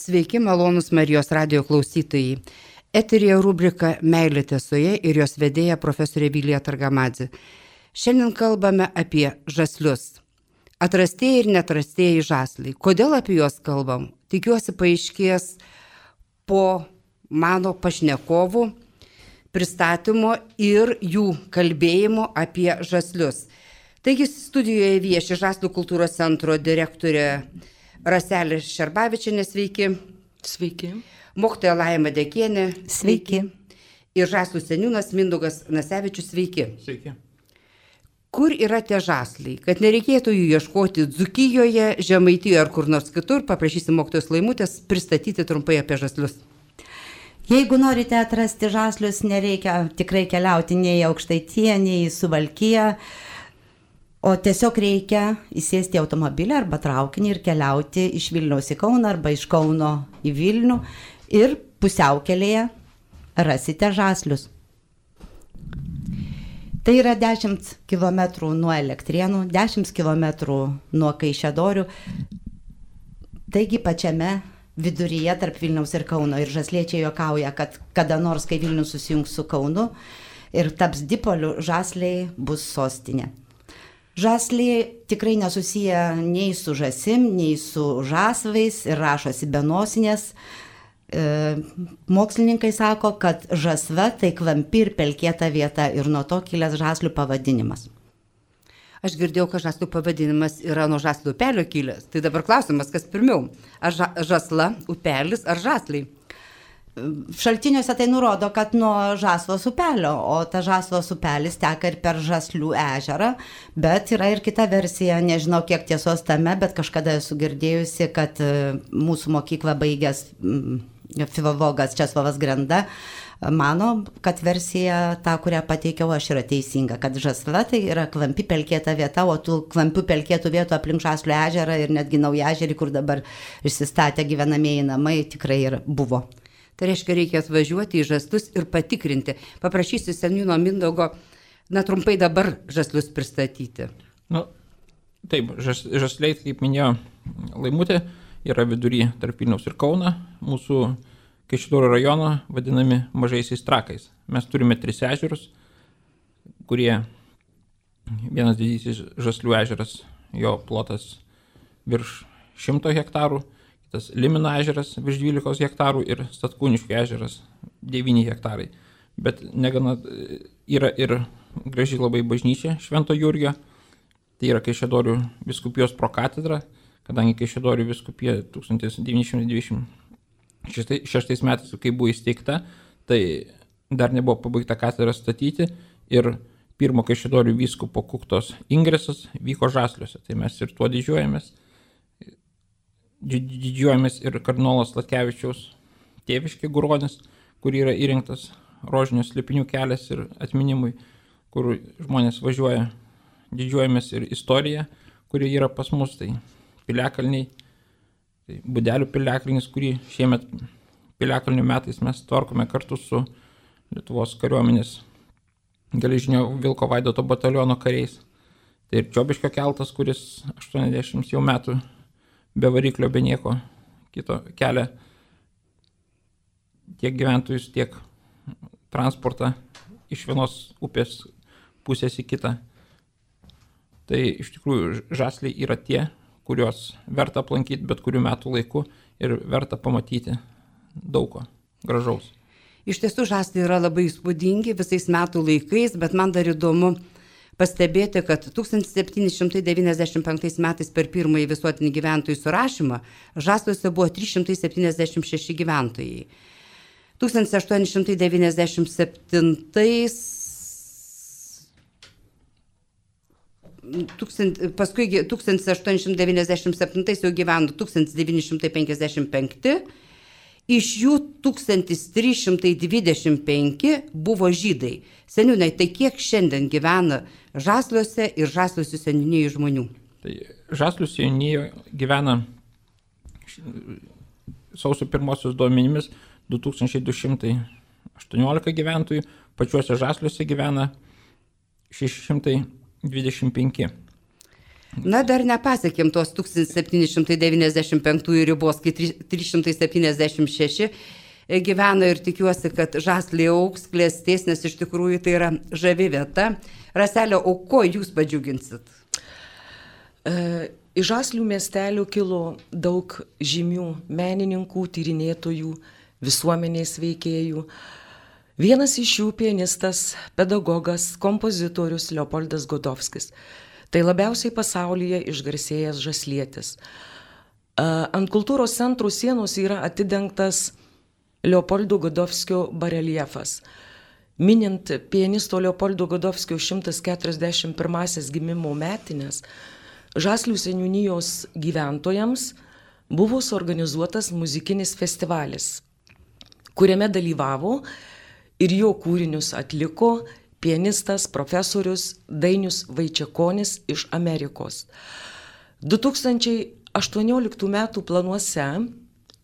Sveiki, malonus Marijos radijo klausytojai. Eterija rubrika Meilė tiesoje ir jos vedėja profesorė Vilija Targamadzė. Šiandien kalbame apie žaslius. Atrastieji ir neatrastieji žasliai. Kodėl apie juos kalbam? Tikiuosi paaiškės po mano pašnekovų pristatymo ir jų kalbėjimo apie žaslius. Taigi studijoje vieši Žaslių kultūros centro direktorė Raselė Šerbavičienė, sveiki. Sveiki. Mokytoja Laima Dekienė. Sveiki. Ir žaslių seniūnas Mindaugas Nasevičius, sveiki. Sveiki. Kur yra tie žasliai? Kad nereikėtų jų ieškoti Dzūkijoje, Žemaitijoje ar kur nors kitur, paprašysim mokytojos Laimutės pristatyti trumpai apie žaslius. Jeigu norite atrasti žaslius, nereikia tikrai keliauti nei į Aukštaitiją, nei į Suvalkiją, o tiesiog reikia įsėsti į automobilį arba traukinį ir keliauti iš Vilniaus į Kauną arba iš Kauno į Vilnių ir pusiaukelėje rasite žaslius. Tai yra 10 km nuo Elektrėnų, 10 km nuo Kaišiadorių, taigi pačiame viduryje tarp Vilniaus ir Kauno. Ir žasliečiai juokauja, kad kada nors, kai Vilnius susijungs su Kaunu ir taps dipoliu, žasliai bus sostinė. Žasliai tikrai nesusiję nei su žasim, nei su žasvais ir rašosi be nosinės. Mokslininkai sako, kad žasva tai klampi ir pelkėta vieta ir nuo to kilęs žaslių pavadinimas. Aš girdėjau, kad žaslių pavadinimas yra nuo žaslių upelio kilęs. Tai dabar klausimas, kas pirmiau? Ar žasla, upelis ar žasliai? Šaltiniuose tai nurodo, kad nuo Žasvos upelio, o ta Žasvos upelis teka ir per Žaslių ežerą, bet yra ir kita versija, nežinau kiek tiesos tame, bet kažkada esu girdėjusi, kad mūsų mokyklą baigęs filologas Česlovas Grenda mano, kad versija ta, kurią pateikiau aš, yra teisinga, kad žasla tai yra klampi pelkėta vieta, o tų klampių pelkėtų vietų aplink Žaslių ežerą ir netgi Naujažerį, kur dabar išsistatę gyvenamieji namai, tikrai ir buvo. Tai reiškia, reikia atvažiuoti į žaslius ir patikrinti. Paprašysiu seniūno Mindaugo, trumpai dabar žaslius pristatyti. Taip, žasliai, kaip minėjo Laimutė, yra vidury tarp Vilniaus ir Kauno, mūsų Kaišiadorių rajono vadinami mažaisiais trakais. Mes turime 3 ežerus, kurie vienas didysis Žaslių ežeras, jo plotas virš 100 hektarų, tas Limino ežeras virš 12 hektarų ir Statkūniškio ežeras 9 hektarai. Bet negana yra ir graži labai bažnyčia Švento Jurgio, tai yra Kaišiadorių vyskupijos prokatedra, kadangi Kaišiadorių vyskupija 1926 metais, kai buvo įsteigta, tai dar nebuvo pabaigta katedra statyti ir pirmo Kaišiadorių vyskupo Kuktos ingresas vyko Žasliuose, tai mes ir tuo didžiuojamės. Didžiuojamės ir kardinolas Latkevičiaus tėviškė Guronis, kur yra įrengtas rožinio slėpinių kelias ir atminimui, kur žmonės važiuoja. Didžiuojamės ir istorija, kuri yra pas mus, tai piliakalniai, tai Budelių piliakalnis, kurį šiemet piliakalnių metais mes tvarkome kartu su Lietuvos kariuomenės geležinio Vilko Vaidoto bataliono kariais. Tai ir Čiobiškio keltas, kuris 80 jau metų be variklio, be nieko kito kelia tiek gyventojus, tiek transportą iš vienos upės pusės į kitą. Tai iš tikrųjų žasliai yra tie, kuriuos verta aplankyti bet kurių metų laiku ir verta pamatyti daug ko gražaus. Iš tiesų žasliai yra labai įspūdingi visais metų laikais, bet man dar įdomu pastebėti, kad 1795 metais per pirmąjį visuotinį gyventojų surašymą žasliuose buvo 376 gyventojai. 1897 jau gyveno 1955, iš jų 1325 buvo žydai. Seniūnai, tai kiek šiandien gyvena Žasliuose ir Žasliuose seniūnijų žmonių? Tai Žaslių seniūnijoje gyvena sausio 1 duomenimis 2218 gyventojų, pačiuose Žasliuose gyvena 625. Na, dar nepasiekėm tos 1795 ribos, kai 376 gyvena ir tikiuosi, kad Žasliai augs, klestės, nes iš tikrųjų tai yra žavi vieta. Raselė, o ko jūs padžiuginsit? Iš Žaslių miestelių kilo daug žymių menininkų, tyrinėtojų, visuomenės veikėjų. Vienas iš jų pianistas, pedagogas, kompozitorius Leopoldas Godofskis. Tai labiausiai pasaulyje išgarsėjęs žaslietis. Ant kultūros centrų sienos yra atidengtas Leopoldo Godofskio bareljefas. Minint pianisto Leopoldo Godofskio 141 gimimo metinės, Žaslių seniūnijos gyventojams buvo suorganizuotas muzikinis festivalis, kuriame dalyvavo ir jo kūrinius atliko pianistas, profesorius Dainius Vaičiakonis iš Amerikos. 2018 metų planuose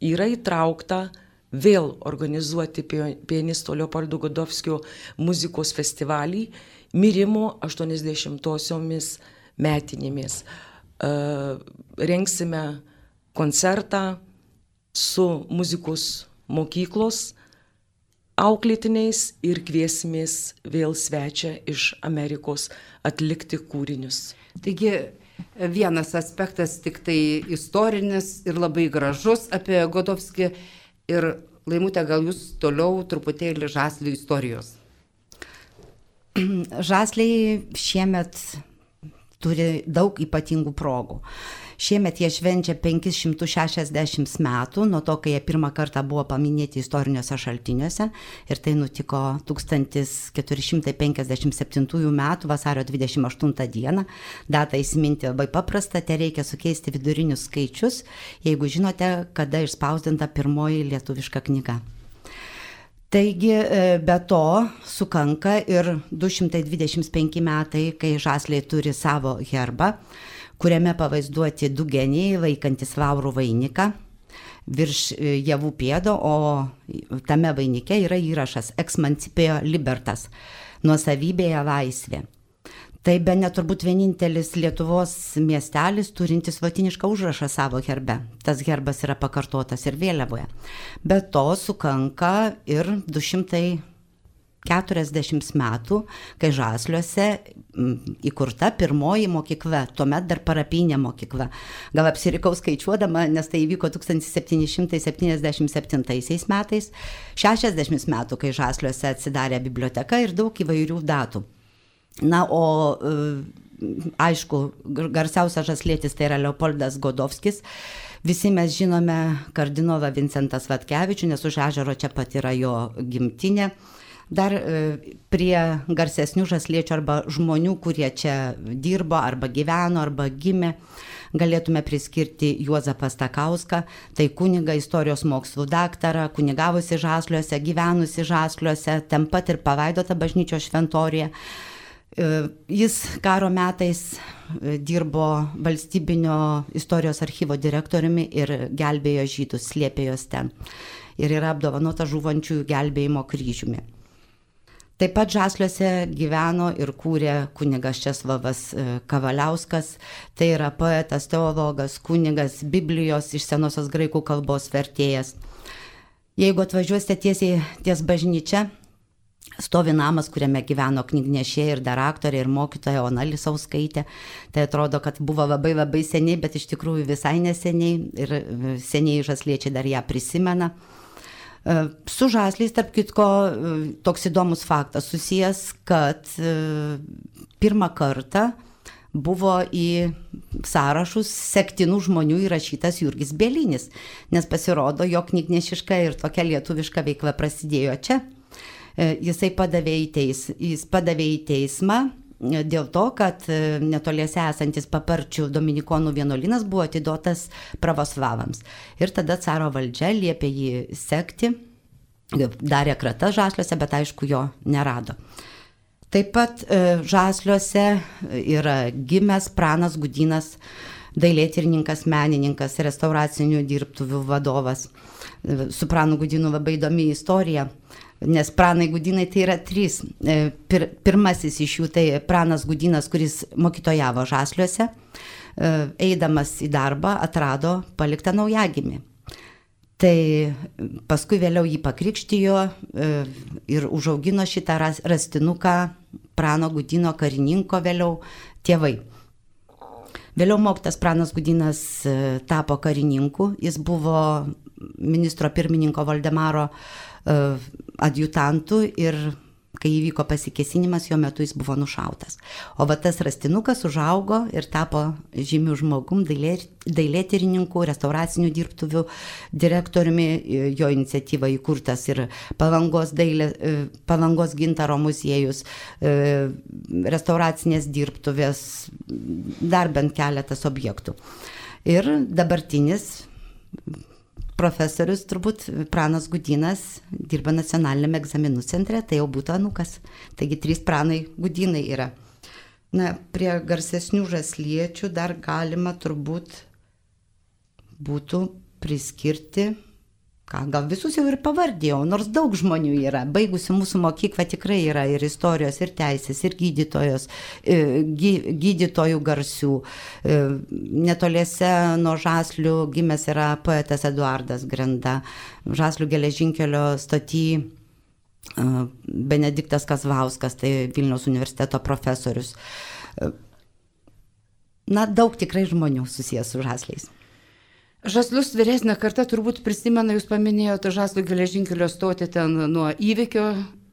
yra įtraukta vėl organizuoti pianisto Leopoldo Godofskio muzikos festivalį mirimo 80-osiomis metinėmis. Rengsime koncertą su muzikos mokyklos auklėtiniais ir kviesimės vėl svečią iš Amerikos atlikti kūrinius. Taigi vienas aspektas tik tai istorinis ir labai gražus apie Godofskį. Ir Laimutė, gal jūs toliau truputėlį Žaslių istorijos? Žasliai šiemet turi daug ypatingų progų. Šiemet jie švenčia 560 metų nuo to, kai jie pirmą kartą buvo paminėti istoriniuose šaltiniuose, ir tai nutiko 1457 metų vasario 28 dieną. Datą įsiminti labai paprasta, tai reikia sukeisti vidurinius skaičius, jeigu žinote, kada išspausdinta pirmoji lietuviška knyga. Taigi be to sukanka ir 225 metai, kai Žasliai turi savo herbą, kuriame pavaizduoti du genijai vaikantis vaurų vainiką virš javų pėdo, o tame vainike yra įrašas Ex Mancipio Libertas, nuosavybėje laisvė. Tai bene turbūt vienintelis Lietuvos miestelis turintis lotynišką užrašą savo herbe. Tas herbas yra pakartotas ir vėliavoje. Be to sukanka ir 240 metų, kai Žasliuose įkurta pirmoji mokykla, tuomet dar parapinė mokykla. Gal apsirikau skaičiuodama, nes tai įvyko 1777 metais, 60 metų, kai Žasliuose atsidarė biblioteka ir daug įvairių datų. Na, o aišku, garsiausias žaslietis tai yra Leopoldas Godofskis. Visi mes žinome kardinolą Vincentą Svatkevičių, nes už ežero čia pat yra jo gimtinė. Dar prie garsesnių žasliečių arba žmonių, kurie čia dirbo, arba gyveno, arba gimė, galėtume priskirti Juozapą Stakauską, tai kunigą, istorijos mokslų daktarą, kunigavusi Žasliuose, gyvenusi Žasliuose, ten pat ir palaidota bažnyčios šventoriuje. Jis karo metais dirbo valstybinio istorijos archyvo direktoriumi ir gelbėjo žydus, slėpė juos ten. Ir yra apdovanota žūvančiųjų gelbėjimo kryžiumi. Taip pat Žasliuose gyveno ir kūrė kunigas Česlovas Kavaliauskas, tai yra poetas, teologas, kunigas, Biblijos iš senosios graikų kalbos vertėjas. Jeigu atvažiuosite tiesiai ties bažnyčia, stovi namas, kuriame gyveno knygnešė ir dar aktorė ir mokytoja Ona Lisauskaitė. Tai atrodo, kad buvo labai labai seniai, bet iš tikrųjų visai neseniai ir seniai žasliečiai dar ją prisimena. Su Žasliais, tarp kitko, toks įdomus faktas susijęs, kad pirmą kartą buvo į sąrašus sektinų žmonių įrašytas Jurgis Bielinis, nes pasirodo, jo knygnešiška ir tokia lietuviška veikla prasidėjo čia. Jis padavė į teismą dėl to, kad netoliese esantis Paparčių dominikonų vienuolynas buvo atiduotas pravoslavams. Ir tada caro valdžia liepė jį sekti, darė kratas Žasliuose, bet aišku jo nerado. Taip pat Žasliuose yra gimęs Pranas Gudynas, dailėtyrininkas, menininkas, restauracinių dirbtuvių vadovas. Su Pranu Gudynu labai įdomi istorija. nes Pranai Gudynai tai yra 3. Pirmasis iš jų tai Pranas Gudynas, kuris mokytojavo Žasliuose, eidamas į darbą atrado paliktą naujagimį. Tai paskui vėliau jį pakrikštijo ir užaugino šitą rastinuką Prano Gudyno karininko vėliau tėvai. Vėliau mokytas Pranas Gudynas tapo karininku, jis buvo ministro pirmininko Valdemaro adjutantų ir kai įvyko pasikėsinimas, jo metu jis buvo nušautas. O va tas rastinukas užaugo ir tapo žymių žmogum, dailėtyrininku, restauracinių dirbtuvių direktoriumi, jo iniciatyva įkurtas ir Palangos gintaro muziejus, restauracinės dirbtuvės, dar bent keletas objektų. Ir dabartinis profesorius, turbūt Pranas Gudynas, dirba nacionaliniame egzaminų centre, tai jau būtų anūkas. Taigi 3 Pranai Gudynai yra. Na, prie garsesnių žasliečių dar galima turbūt būtų priskirti, gal visus jau ir pavardėjau, nors daug žmonių yra. Baigusių mūsų mokyklą tikrai yra ir istorijos, ir teisės, ir gydytojų garsių. Netoliese nuo Žaslių gimęs yra poetas Eduardas Grenda, Žaslių geležinkelio stoty Benediktas Kazlauskas, tai Vilniaus universiteto profesorius. Na, daug tikrai žmonių susijęs su Žasliais. Žaslius vyresnė karta turbūt prisimena, jūs paminėjote Žaslių geležinkelio stotį ten nuo įvykio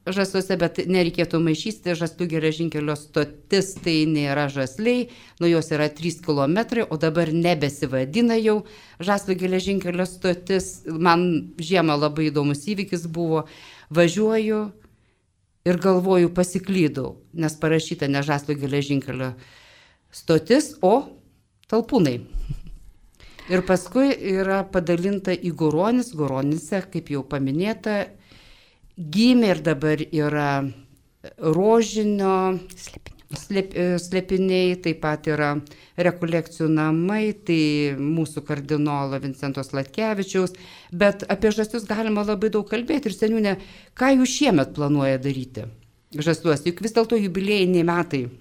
Žasliuose, bet nereikėtų maišyti, Žaslių geležinkelio stotis tai nėra Žasliai, nuo jos yra 3 km, o dabar nebesivadina jau Žaslių geležinkelio stotis. Man žiemą labai įdomus įvykis buvo, važiuoju ir galvoju, pasiklydau, nes parašyta ne Žaslių geležinkelio stotis, o Talpūnai. Ir paskui yra padalinta į Goronis, Goronyse, kaip jau paminėta, gimė ir dabar yra rožinio slėpiniai, taip pat yra rekolekcijų namai, tai mūsų kardinolo Vincento Sladkevičiaus, bet apie Žaslius galima labai daug kalbėti. Ir seniūne, ką jūs šiemet planuoja daryti Žasliuose, juk vis dėlto jubiliejiniai metai.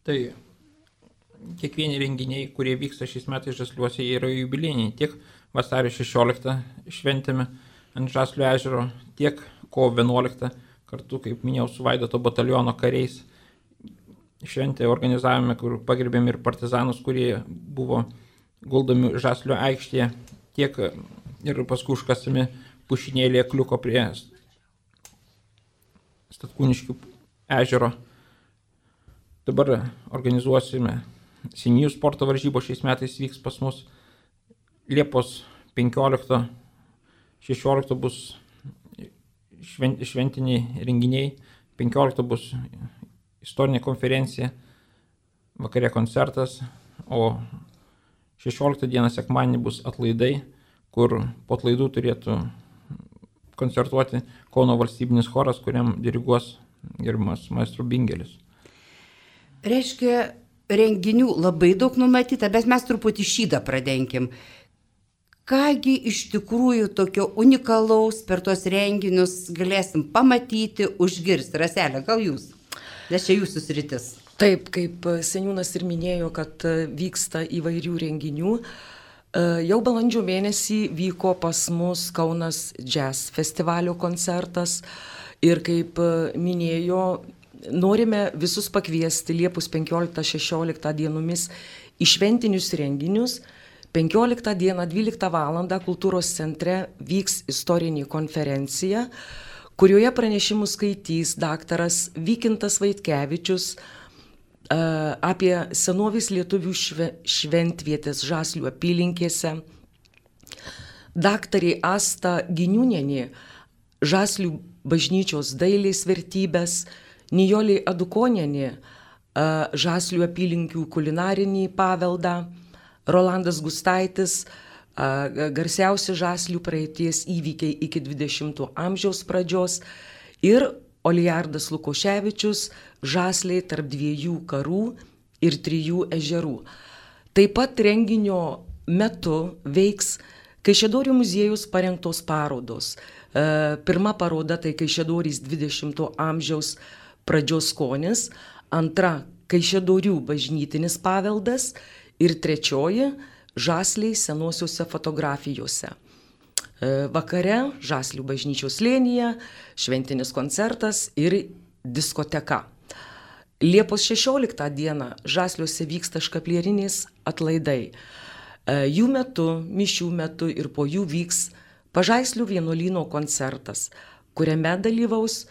Tai kiekvieni renginiai, kurie vyksta šiais metais Žasliuose, yra jubiliejiniai. Tiek vasario 16 šventėme ant Žaslių ežero, tiek kovo 11 kartu, kaip minėjau, su Vaidoto bataliono kariais šventę organizavome, kur pagerbėme ir partizanus, kurie buvo guldomi Žaslių aikštėje, tiek ir paskui užkasami pušinėlėje kliuko prie Statkūniškių ežero. Dabar organizuosime Seniūnijų sporto varžybos, šiais metais vyks pas mus Liepos 15-16 bus šventiniai renginiai, 15 bus istorinė konferencija, vakare koncertas, o 16 dieną sekmadienį bus atlaidai, kur po atlaidų turėtų koncertuoti Kauno valstybinis choras, kuriam diriguos gerbiamas maestro Bingelis. Reiškia, renginių labai daug numatyta, bet mes truputį šydą pradenkim. Kągi iš tikrųjų tokio unikalaus per tos renginius galėsim pamatyti, užgirsti? Raselė, gal jūs? Nes čia jūsų sritis. Taip, kaip seniūnas ir minėjo, kad vyksta įvairių renginių. Jau balandžio mėnesį vyko pas mus Kaunas Jazz festivalio koncertas ir kaip minėjo, norime visus pakviesti Liepos 15-16 dienomis į šventinius renginius. 15 dieną 12 val. Kultūros centre vyks istorinė konferencija, kurioje pranešimus skaitys daktaras Vykintas Vaitkevičius apie senovės lietuvių šventvietės Žaslių apylinkėse. Daktarė Asta Giniūnienė Žaslių bažnyčios dailės vertybės, Nijolė Adukonienė Žaslių apylinkių kulinarinį paveldą, Rolandas Gustaitis garsiausi Žaslių praeities įvykiai iki 20 amžiaus pradžios ir Olijardas Lukoševičius Žasliai tarp 2 karų ir 3 ežerų. Taip pat renginio metu veiks Kaišiadorių muziejus parengtos parodos. Pirma paroda tai Kaišiadorys 20 amžiaus pradžios skonis, antra Kaišiadorių bažnytinis paveldas ir trečioji Žasliai senosiuose fotografijose. Vakare Žaslių bažnyčios slėnyje šventinis koncertas ir diskoteka. Liepos 16 dieną Žasliuose vyksta škaplierinės atlaidai. Jų metu, mišių metu ir po jų vyks Pažaislių vienuolyno koncertas, kuriame dalyvaus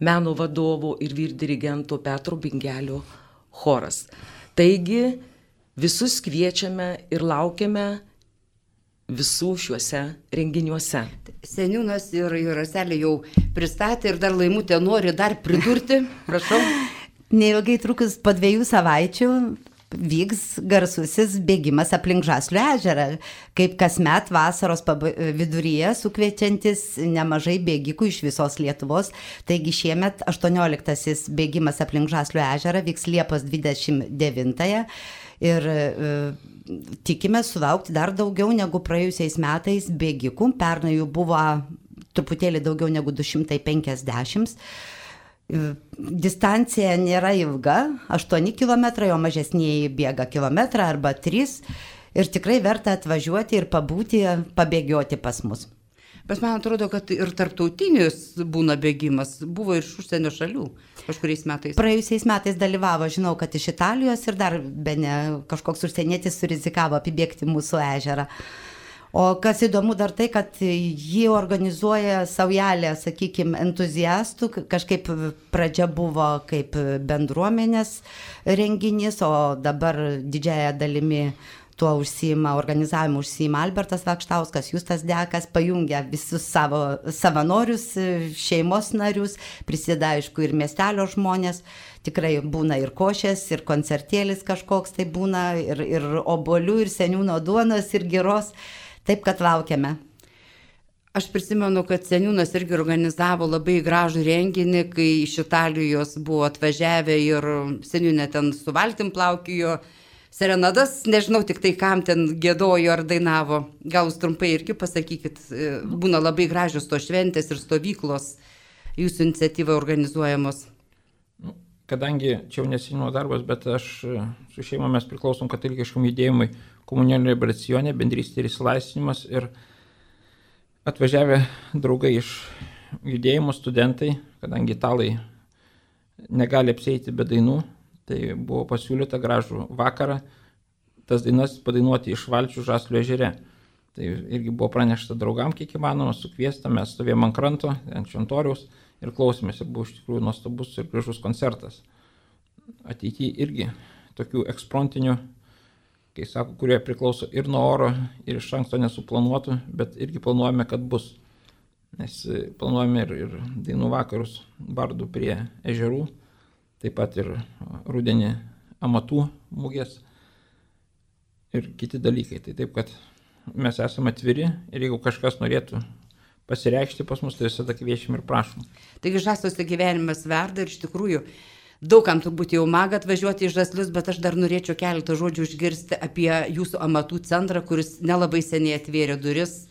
meno vadovo ir vyrdirigento Petro Bingelio choras. Taigi visus kviečiame ir laukiame visų šiuose renginiuose. Seniūnas ir Raselė jau pristatė ir dar Laimutė nori dar pridurti, prašau. Neilgai trukus po 2 savaičių vyks garsusis bėgimas aplink Žaslių ežerą, kaip kasmet vasaros viduryje sukviečiantis nemažai bėgikų iš visos Lietuvos. Taigi šiemet 18-asis bėgimas aplink Žaslių ežerą vyks Liepos 29-ąją ir tikime sulaukti dar daugiau negu praėjusiais metais bėgikų. Pernai jų buvo truputėlį daugiau negu 250. Distancija nėra ilga, 8 km, o mažesnieji bėga kilometrą arba 3 ir tikrai verta atvažiuoti ir pabūti, pabėgioti pas mus. Bet man atrodo, kad ir tarptautinis būna bėgimas, buvo iš užsienio šalių kažkuriais metais. Praėjusiais metais dalyvavo, žinau, kad iš Italijos ir dar bene kažkoks užsienietis surizikavo apibėgti mūsų ežerą. O kas įdomu dar tai, kad jį organizuoja saujelė, sakykime, entuziastų, kažkaip pradžia buvo kaip bendruomenės renginys, o dabar didžiąją dalimi tuo organizavimu užsiima Albertas Vakštauskas, Justas Dekas, pajungia visus savo savanorius, šeimos narius, prisideda aišku ir miestelio žmonės. Tikrai būna ir košės, ir koncertėlis kažkoks tai būna, ir obuolių, ir seniūno duonos, ir giros. Taip, kad laukiame. Aš prisimenu, kad seniūnas irgi organizavo labai gražų renginį, kai iš Italijos buvo atvažiavę ir seniūnė ten su valtim plaukiojo, serenadas, nežinau tik tai kam ten giedojo ar dainavo. Gal jūs trumpai irgi pasakykit, būna labai gražios to šventės ir stovyklos jūsų iniciatyva organizuojamos. Kadangi čia jau neseniūno darbas, bet aš su šeima mes priklausom katalikiškam judėjimui Komunijos liberacijonė, bendrystė ir išsilaisvinimas ir atvažiavę draugai iš judėjimo studentai, kadangi italai negali apsieiti be dainų, tai buvo pasiūlyta gražų vakarą tas dainas padainuoti iš valčių Žaslių ežere. Tai irgi buvo pranešta draugam, kiek įmanoma, sukviesta, mes stovėjom ant kranto, ant šventoriaus ir klausėmės ir buvo iš tikrųjų nuostabus ir gražus koncertas. Ateityje irgi tokių eksprontinių, kai sako, kurie priklauso ir nuo oro, ir iš anksto nesuplanuotų, bet irgi planuojame, kad bus. Nes planuojame ir dainų vakarus bardų prie ežerų, taip pat ir rudenį amatų mugės ir kiti dalykai. Tai taip, kad mes esame atviri ir jeigu kažkas norėtų pasireikšti pas mus, tai visada kviečiam ir prašom. Taigi Žasliuose gyvenimas verda ir iš tikrųjų daugam turbūt jau maga atvažiuoti į Žaslius, bet aš dar norėčiau keletą žodžių išgirsti apie jūsų amatų centrą, kuris nelabai seniai atvėrė duris.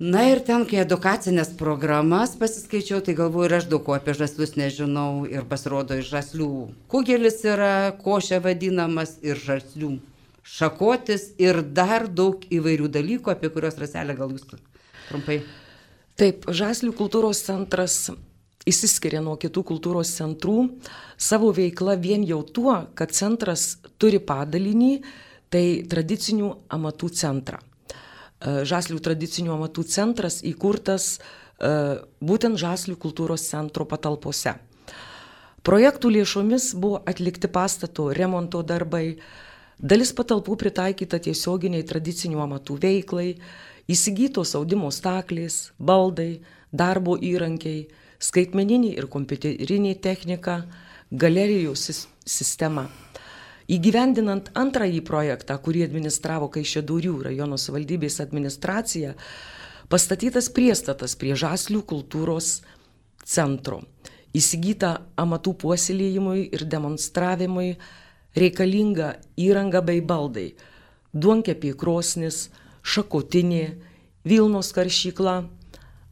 Na ir ten, kai edukacinės programas pasiskaičiau, tai galvoju ir aš daug ko apie Žaslius nežinau ir pasirodo iš Žaslių kugelis yra, košė vadinamas ir Žaslių šakotis ir dar daug įvairių dalykų, apie kuriuos Raselė gal jūs trumpai. Taip, Žaslių kultūros centras išsiskiria nuo kitų kultūros centrų savo veikla vien jau tuo, kad centras turi padalinį, tai tradicinių amatų centrą. Žaslių tradicinių amatų centras įkurtas būtent Žaslių kultūros centro patalpose. Projektų lėšomis buvo atlikti pastato remonto darbai, dalis patalpų pritaikyta tiesioginiai tradicinių amatų veiklai, įsigytos audimo staklės, baldai, darbo įrankiai, skaitmeninė ir kompiuterinė technika, galerijų sistema. Įgyvendinant antrąjį projektą, kurį administravo Kaišiadorių rajono savivaldybės administracija, pastatytas priestatas prie Žaslių kultūros centro. Įsigyta amatų puoselėjimui ir demonstravimui reikalinga įranga bei baldai, duonkepė krosnis, šakotinė, Vilnos karšykla,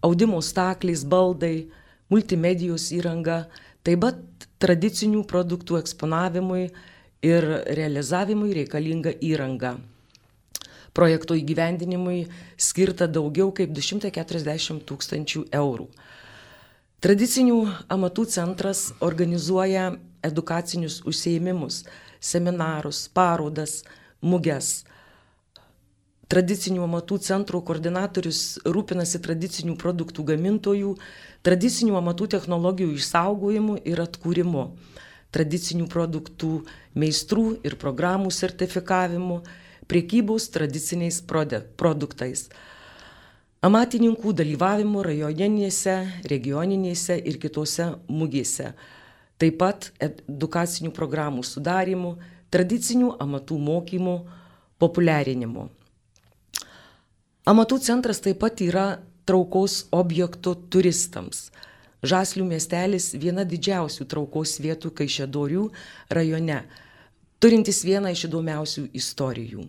audimo staklės, baldai, multimedijos įranga, taip pat tradicinių produktų eksponavimui ir realizavimui reikalinga įranga. Projekto įgyvendinimui skirta daugiau kaip 240 000 eurų. Tradicinių amatų centras organizuoja edukacinius užsiėmimus, seminarus, parodas, muges. Tradicinių amatų centrų koordinatorius rūpinasi tradicinių produktų gamintojų, tradicinių amatų technologijų išsaugojimu ir atkūrimu, tradicinių produktų meistrų ir programų sertifikavimu, prekybos tradiciniais produktais, amatininkų dalyvavimu rajoninėse, regioninėse ir kitose mugėse, taip pat edukacinių programų sudarimu, tradicinių amatų mokymų, populiarinimu. Amatų centras taip pat yra traukos objektų turistams. Žaslių miestelis viena didžiausių traukos vietų Kaišiadorių rajone, turintis vieną iš įdomiausių istorijų.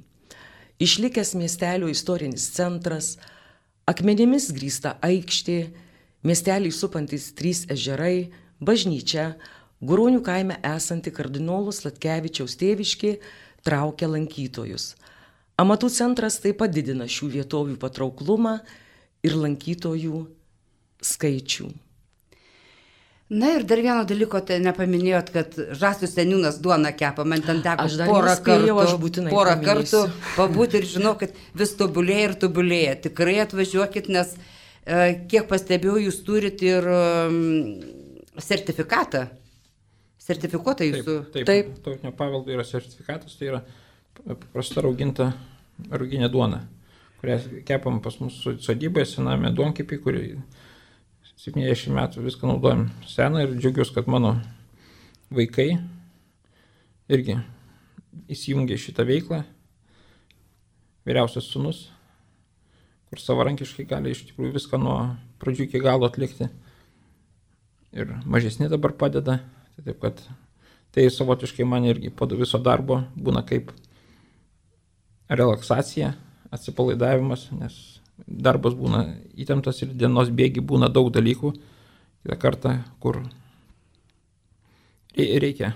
Išlikęs miestelio istorinis centras, akmenimis grįsta aikštė, miestelį supantis 3 ežerai, bažnyčia, Guronių kaime esanti kardinolo Sladkevičiaus tėviškė traukia lankytojus. Amatų centras taip pat didina šių vietovių patrauklumą ir lankytojų skaičių. Na ir dar vieno dalyko tai nepaminėjot, kad Žaslių seniūnas duoną kepa, man ten teko porą kartų pabūti ir žinau, kad vis tobulėja ir tobulėja. Tikrai atvažiuokit, nes kiek pastebėjau, jūs turit ir sertifikatą. Sertifikuota jūsų. Taip. Tautinio paveldo yra sertifikatas, tai yra paprasta rauginė duona, kurią kepam pas mūsų sodyboje, sename duonkepį, kurį 70 metų viską naudojam seną ir džiaugiuosi, kad mano vaikai irgi įsijungė šitą veiklą. Vyriausias sūnus, kur savarankiškai gali iš tikrųjų viską nuo pradžių iki galo atlikti. Ir mažesni dabar padeda. Taip kad tai savotiškai man irgi po viso darbo būna kaip relaksacija, atsipalaidavimas, nes darbas būna įtemptas ir dienos bėgi būna daug dalykų. Kitą kartą, kur reikia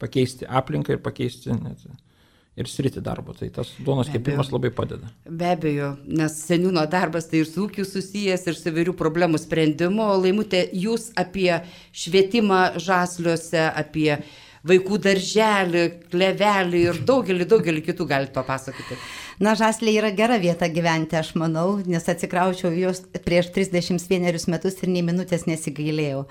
pakeisti aplinką ir pakeisti net ir sritį darbo. Tai tas duonos kepimas labai padeda. Be abejo, nes seniūno darbas tai ir su ūkiu susijęs ir su įvairių problemų sprendimu. Laimutė, jūs apie švietimą Žasliuose, apie vaikų darželį, klevelį ir daugelį kitų galite papasakoti. Na, Žasliai yra gera vieta gyventi, aš manau, nes atsikraučiau jos prieš 31 metus ir nei minutės nesigailėjau.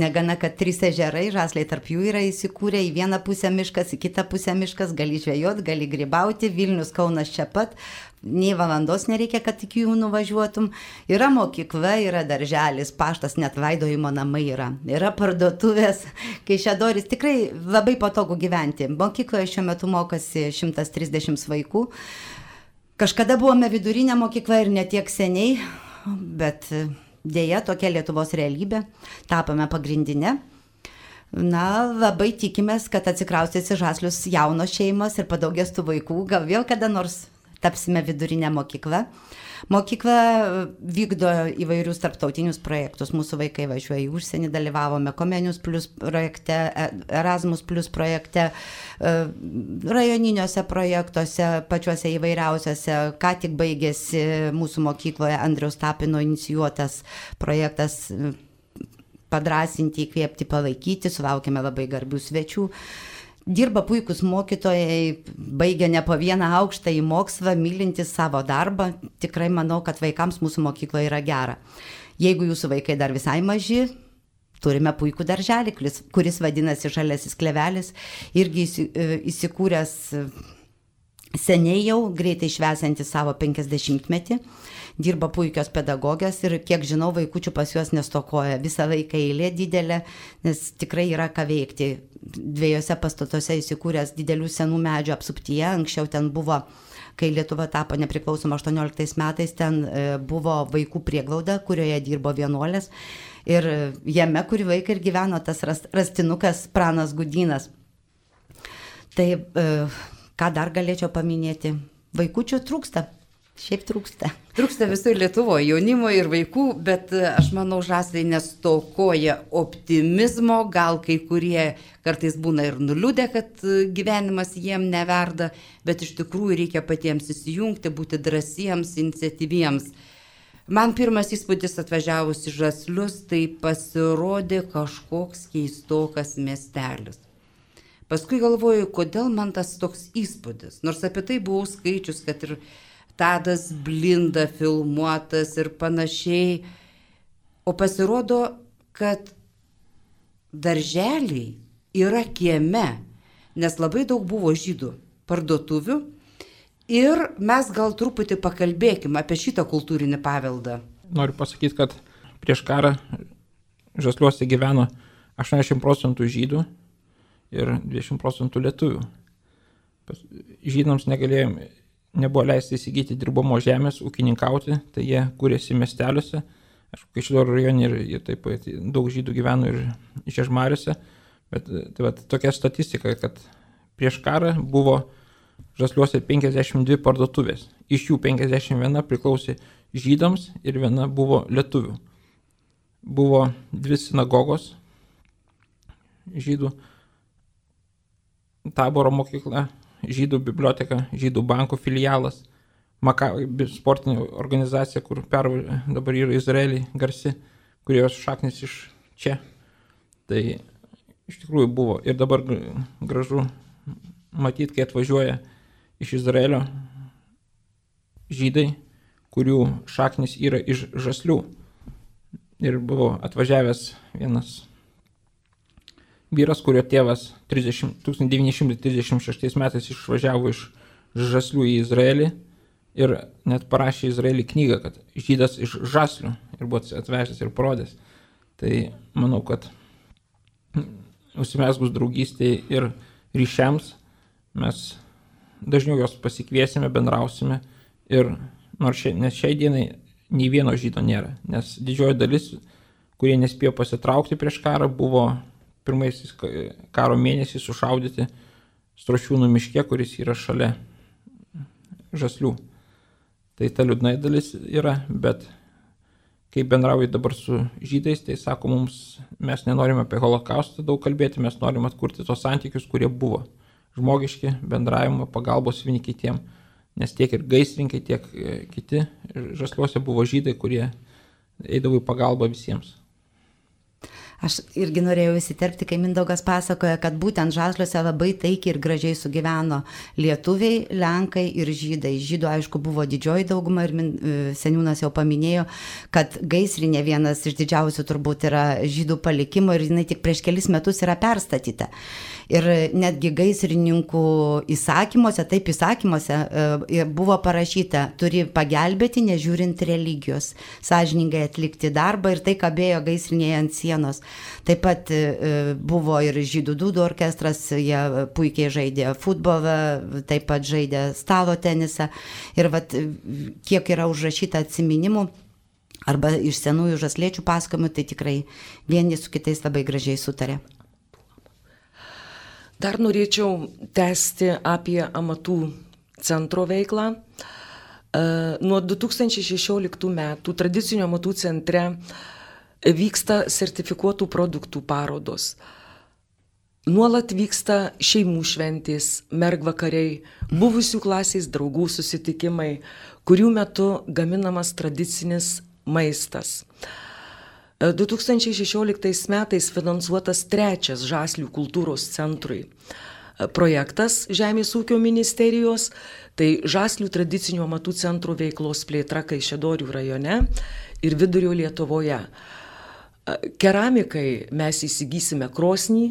Negana, kad 3 ežerai, Žasliai tarp jų yra įsikūrę, į vieną pusę miškas, į kitą pusę miškas, gali žvejot, gali grybauti, Vilnius, Kaunas čia pat, nei valandos nereikia, kad iki jų nuvažiuotum. Yra mokykla, yra darželis, paštas, net laidojimo namai yra parduotuvės, Kaišiadoris, tikrai labai patogu gyventi. Mokykloje šiuo metu mokosi 130 vaikų. Kažkada buvome vidurinė mokykla ir ne tiek seniai, bet dėja tokia Lietuvos realybė, tapome pagrindinė. Na, labai tikimės, kad atsikraustys į Žaslius jaunos šeimos ir padaugės tų vaikų, gal vėl kada nors tapsime vidurinę mokyklą. Mokykla vykdo įvairius tarptautinius projektus. Mūsų vaikai važiuoja į užsienį, dalyvavome Comenius Plus projekte, Erasmus Plus projekte, rajoniniuose projektuose, pačiuose įvairiausiuose. Ką tik baigėsi mūsų mokykloje Andriaus Tapino inicijuotas projektas padrąsinti, įkvėpti, palaikyti. Sulaukėme labai garbių svečių. Dirba puikus mokytojai, baigia ne po vieną aukštą į mokslą, mylintis savo darbą. Tikrai manau, kad vaikams mūsų mokykloje yra gera. Jeigu jūsų vaikai dar visai maži, turime puikų darželį, kuris vadinasi Žaliasis klevelis, irgi įsikūręs seniai jau, greitai švęsiantis savo 50-metį. Dirba puikios pedagogės ir kiek žinau, vaikučių pas juos nestokoja. Visą laiką eilė didelė, nes tikrai yra ką veikti. 2 pastatuose įsikūręs didelių senų medžių apsuptyje. Anksčiau ten buvo, kai Lietuva tapo nepriklausoma 18 metais, ten buvo vaikų prieglauda, kurioje dirbo vienuolės. Ir jame kurį laiką ir gyveno tas rastinukas Pranas Gudynas. Tai ką dar galėčiau paminėti? Vaikučių trūksta. Šiaip trūksta. Trūksta visoje Lietuvoje jaunimo ir vaikų, bet aš manau, žasliai nestokoja optimizmo, gal kai kurie kartais būna ir nuliūdę, kad gyvenimas jiem neverda, bet iš tikrųjų reikia patiems įsijungti, būti drąsiems, iniciatyviems. Man pirmas įspūdis atvažiavus į Žaslius, tai pasirodė kažkoks keistokas miestelis. Paskui galvoju, kodėl man tas toks įspūdis, nors apie tai buvau skaičius, kad ir Tadas Blinda filmuotas ir panašiai. O pasirodo, kad darželiai yra kieme, nes labai daug buvo žydų parduotuvių. Ir mes gal truputį pakalbėkime apie šitą kultūrinį paveldą. Noriu pasakyti, kad prieš karą Žasliuose gyveno 80% žydų ir 20% lietuvių. Žydams nebuvo leista įsigyti dirbamo žemės, ūkininkauti, tai jie kūrėsi miesteliuose. Aišku, Kaišiadorių rajone ir taip pat daug žydų gyveno ir Žiežmariuose. Bet tai tokia statistika, kad prieš karą buvo Žasliuose 52 parduotuvės. Iš jų 51 priklausė žydams ir viena buvo lietuvių. Buvo 2 sinagogos žydų, Taboro mokykla, žydų biblioteka, žydų bankų filialas, Makabi sportinė organizacija, kur dabar yra Izraelį garsi, kurios šaknis iš čia. Tai iš tikrųjų buvo. Ir dabar gražu matyti, kai atvažiuoja iš Izraelio žydai, kurių šaknis yra iš Žaslių. Ir buvo atvažiavęs vienas vyras, kurio tėvas 1936 metais išvažiavo iš Žaslių į Izraelį ir net parašė Izraelį knygą, kad žydas iš Žaslių ir buvo atvežęs ir parodęs. Tai manau, kad užsimezgus draugystėje ir ryšiams mes dažniau jos pasikviesime, bendrausime ir nes šiai dienai nei vieno žydo nėra, nes didžioji dalis, kurie nespėjo pasitraukti prieš karą, buvo pirmaisiais karo mėnesiais sušaudyti Strošiūnų miške, kuris yra šalia Žaslių. Tai ta liūdna dalis yra, bet kai bendrauju dabar su žydais, tai sako mums, mes nenorime apie holokaustą daug kalbėti, mes norime atkurti tos santykius, kurie buvo žmogiški, bendravimo, pagalbos vieni kitiem, nes tiek ir gaisrinkai, tiek kiti Žasliuose buvo žydai, kurie eidavo į pagalbą visiems. Aš irgi norėjau įsiterpti, kai Mindaugas pasakoja, kad būtent Žasliuose labai taikiai ir gražiai sugyveno lietuviai, lenkai ir žydai. Žydų, aišku, buvo didžioji dauguma ir seniūnas jau paminėjo, kad gaisrinė vienas iš didžiausių turbūt yra žydų palikimo ir jinai tik prieš kelis metus yra perstatyta. Ir netgi gaisrininkų įsakymuose buvo parašyta, turi pagelbėti, nežiūrint religijos, sąžiningai atlikti darbą ir tai kabėjo gaisrinėje ant sienos. Taip pat buvo ir žydų dūdų orkestras, jie puikiai žaidė futbolą, taip pat žaidė stalo tenisą. Ir kiek yra užrašyta atsiminimų arba iš senųjų žasliečių pasakojimų, tai tikrai vieni su kitais labai gražiai sutarė. Dar norėčiau tęsti apie amatų centro veiklą. Nuo 2016 metų tradicinio amatų centre vyksta sertifikuotų produktų parodos. Nuolat vyksta šeimų šventės, mergvakariai, buvusių klasės draugų susitikimai, kurių metu gaminamas tradicinis maistas. 2016 metais finansuotas 3 Žaslių kultūros centrui projektas Žemės ūkio ministerijos, tai Žaslių tradicinių amatų centrų veiklos plėtra Kaišiadorių rajone ir Vidurio Lietuvoje. Keramikai mes įsigysime krosnį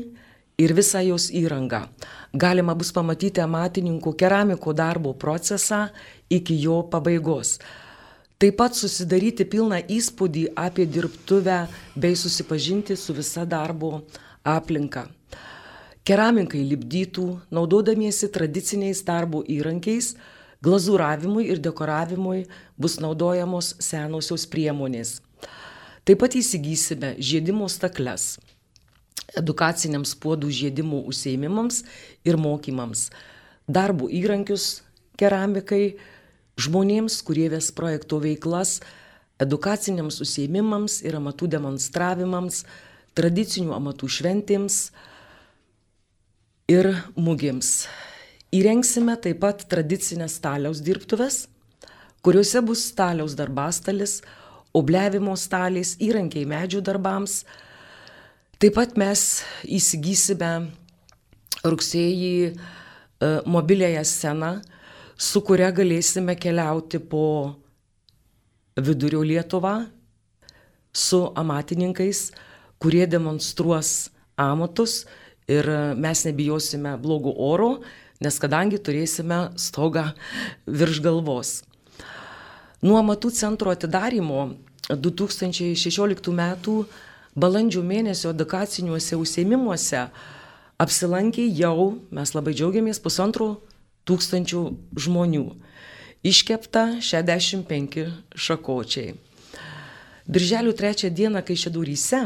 ir visą jos įrangą. Galima bus pamatyti amatininkų keramiko darbo procesą iki jo pabaigos. Taip pat susidaryti pilną įspūdį apie dirbtuvę bei susipažinti su visa darbo aplinka. Keramikai lipdytų, naudodamiesi tradiciniais darbo įrankiais, glazūravimui ir dekoravimui bus naudojamos senosios priemonės. Taip pat įsigysime žiedimo stakles, edukaciniams puodų žiedimų užsiėmimams ir mokymams, darbo įrankius keramikai, žmonėms, kurie ves projekto veiklas, edukaciniams užsiėmimams ir amatų demonstravimams, tradicinių amatų šventėms ir mugėms. Įrengsime taip pat tradicinės staliaus dirbtuves, kuriuose bus staliaus darbastalis, obliavimo stalės, įrankiai medžių darbams. Taip pat mes įsigysime rugsėjį mobiliąją sceną, su kuria galėsime keliauti po Vidurio Lietuvą su amatininkais, kurie demonstruos amatus ir mes nebijosime blogo oro, nes kadangi turėsime stogą virš galvos. Nuo amatų centro atidarymo 2016 m. balandžio mėnesio edukaciniuose užsiėmimuose apsilankė jau, mes labai džiaugiamės, 1500 žmonių. Iškepta 65 šakočiai. Birželio 3 dieną Kaišiadoryse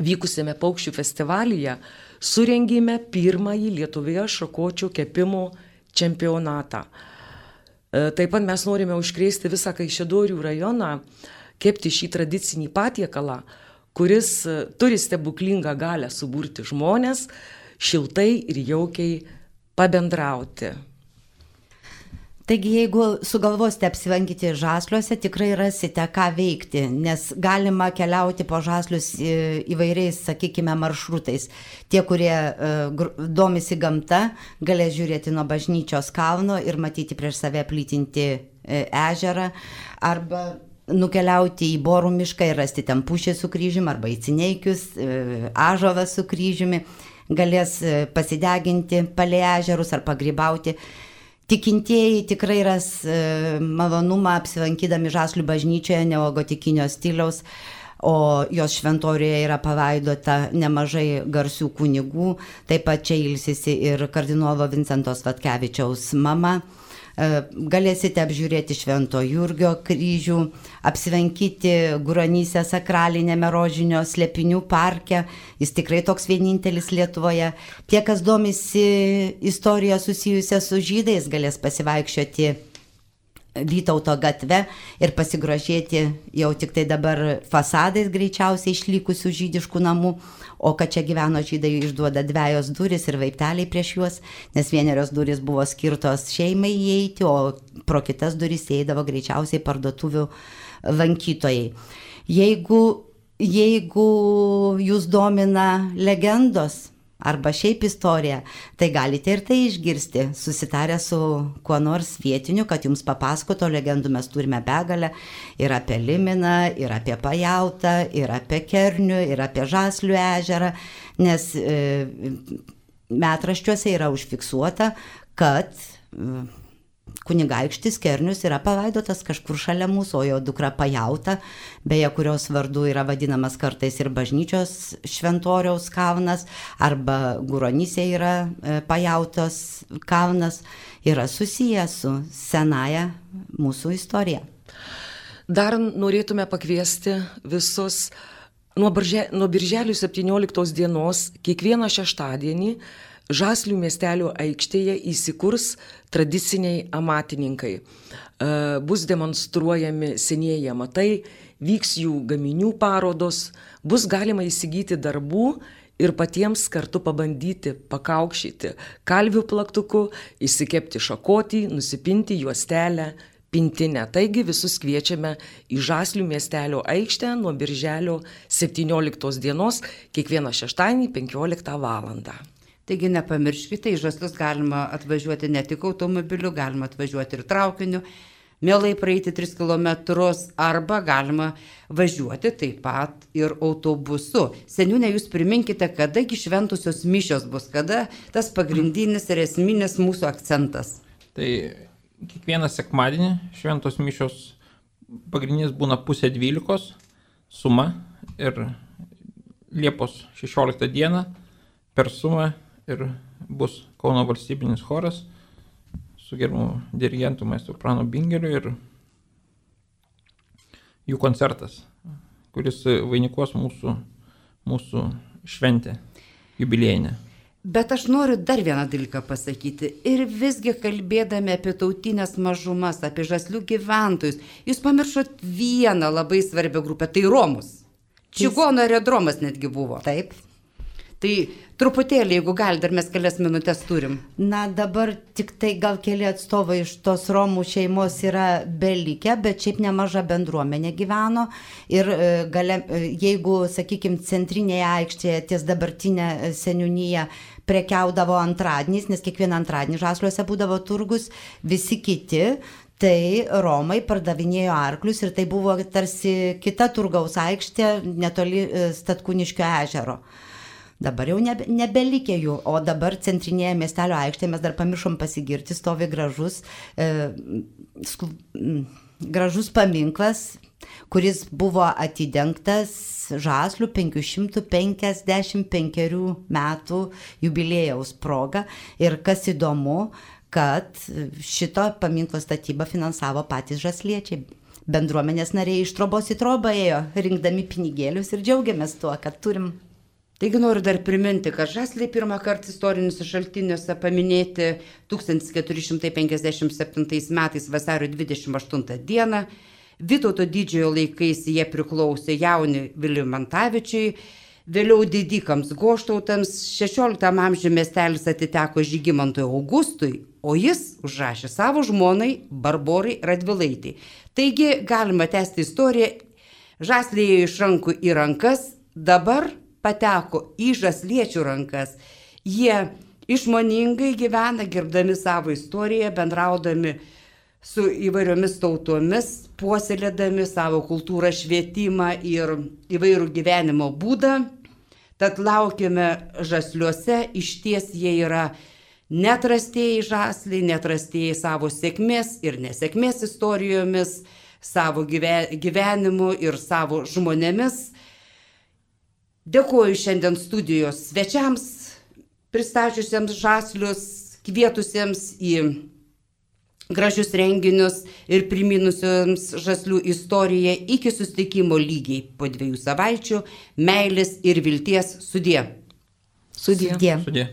vykusiame paukščių festivalyje surengėme pirmąjį Lietuvoje šakočių kepimo čempionatą. Taip pat mes norime užkrėsti visą Kaišiadorių rajoną, kepti šį tradicinį patiekalą, kuris turi stebuklingą galią suburti žmonės, šiltai ir jaukiai pabendrauti. Taigi, jeigu sugalvosite apsilankyti Žasliuose, tikrai rasite ką veikti, nes galima keliauti po Žaslius įvairiais, sakykime, maršrutais. Tie, kurie domisi gamta, galės žiūrėti nuo bažnyčios kalno ir matyti prieš save plytinti ežerą, arba nukeliauti į Borų mišką ir rasti ten pušį su kryžiumi, arba į Cineikius, ąžuolą su kryžiumi, galės pasideginti palei ežerus ar pagrybauti. Tikintieji tikrai ras malonumą apsilankydami Žaslių bažnyčioje neogotikinio stiliaus, o jos šventorijoje yra palaidota nemažai garsių kunigų, taip pat čia ilsisi ir kardinolo Vincento Svatkevičiaus mama. Galėsite apžiūrėti Švento Jurgio kryžių, apsilankyti Guronyse sakralinėme rožinio slėpinių parke, jis tikrai toks vienintelis Lietuvoje. Tie, kas domisi istoriją susijusią su žydais, galės pasivaikščioti Vytauto gatve ir pasigrožėti jau tik tai dabar fasadais greičiausiai išlikusių žydiškų namų, o kad čia gyveno žydai išduoda dvejos durys ir vaipteliai prieš juos, nes vienerios durys buvo skirtos šeimai įeiti, o pro kitas durys įeidavo greičiausiai parduotuvių lankytojai. Jeigu jūs domina legendos arba šiaip istorija, tai galite ir tai išgirsti, susitarę su kuo nors vietiniu, kad jums papasakoto legendų mes turime begalę ir apie Liminą, ir apie Pajautą, ir apie Kernių, ir apie Žaslių ežerą, nes metraščiuose yra užfiksuota, kad kunigaikštis Kernius yra palaidotas kažkur šalia mūsų, o jo dukra Pajauta, beje, kurios vardu yra vadinamas kartais ir bažnyčios šventoriaus kalnas, arba Guronyse yra Pajautos kalnas, yra susijęs su senaja mūsų istorija. Dar norėtume pakviesti visus nuo birželio 17 dienos kiekvieną šeštadienį Žaslių miestelio aikštėje įsikurs tradiciniai amatininkai. Bus demonstruojami senieji amatai, vyks jų gaminių parodos, bus galima įsigyti darbų ir patiems kartu pabandyti pakaukšyti kalvių plaktuku, įsikepti šakotį, nusipinti juostelę, pintinę. Taigi visus kviečiame į Žaslių miestelio aikštę nuo birželio 17 dienos kiekvieną šeštadienį 15 valandą. Taigi nepamirškite, į Žaslius galima atvažiuoti ne tik automobiliu, galima atvažiuoti ir traukiniu, mielai praeiti 3 km, arba galima važiuoti taip pat ir autobusu. Seniūne, jūs priminkite, kadagi šventosios mišios bus, kada tas pagrindinis ir esminis mūsų akcentas. Tai kiekvieną sekmadienį šventos mišios pagrindinis būna 11:30 suma ir Liepos 16 dieną per sumą ir bus Kauno valstybinis choras su gerbiamu dirigentu maestro Pranu Bingeliu ir jų koncertas, kuris vainikuos mūsų šventę jubiliejinę. Bet aš noriu dar vieną dalyką pasakyti. Ir visgi kalbėdami apie tautinės mažumas, apie žaslių gyventojus, jūs pamiršot vieną labai svarbią grupę, tai Romus. Čigonų aerodromas netgi buvo. Taip. Tai truputėlį, jeigu gali, dar mes kelias minutės turim. Na, dabar tik tai gal keli atstovai iš tos Romų šeimos yra belikę, bet šiaip nemaža bendruomenė gyveno. Ir jeigu, sakykime, centrinėje aikštėje ties dabartinė seniūnija prekiaudavo antradieniais, nes kiekvieną antradienį Žasliuose būdavo turgus, visi kiti, tai Romai pardavinėjo arklius ir tai buvo tarsi kita turgaus aikštė netoli Statkūniškio ežero. Dabar jau nebelikė jų, o dabar centrinėje miestelio aikštėje mes dar pamiršom pasigirti, stovi gražus paminklas, kuris buvo atidengtas Žaslių 555 metų jubiliejaus proga. Ir kas įdomu, kad šito paminklo statybą finansavo patys žasliečiai. Bendruomenės nariai iš trobos į trobą ėjo, rinkdami pinigėlius ir džiaugiamės tuo, kad turim. Taigi noriu dar priminti, kad žasliai pirmą kartą istoriniuose šaltiniuose paminėti 1457 metais vasario 28 dieną. Vytauto didžiojo laikais jie priklausė Jauniui Vilimantavičiui, vėliau didikams Goštautams, 16 amžiuje miestelis atiteko Žygimantui Augustui, o jis užrašė savo žmonai Barborai Radvilaitei. Taigi galima tęsti istoriją, žasliai iš rankų į rankas, dabar pateko į žasliečių rankas. Jie išmoningai gyvena, gerbdami savo istoriją, bendraudami su įvairiomis tautomis, puoselėdami savo kultūrą, švietimą ir įvairų gyvenimo būdą. Tad laukime Žasliuose, išties jie yra neatrastieji žasliai, neatrastieji savo sėkmės ir nesėkmės istorijomis, savo gyvenimu ir savo žmonėmis. Dėkuoju šiandien studijos svečiams, pristačiusiems žaslius, kvietusiems į gražius renginius ir priminusiems žaslių istoriją. Iki susitikimo lygiai po 2 savaičių. Meilės ir vilties. Sudie. Sudie. Sudie.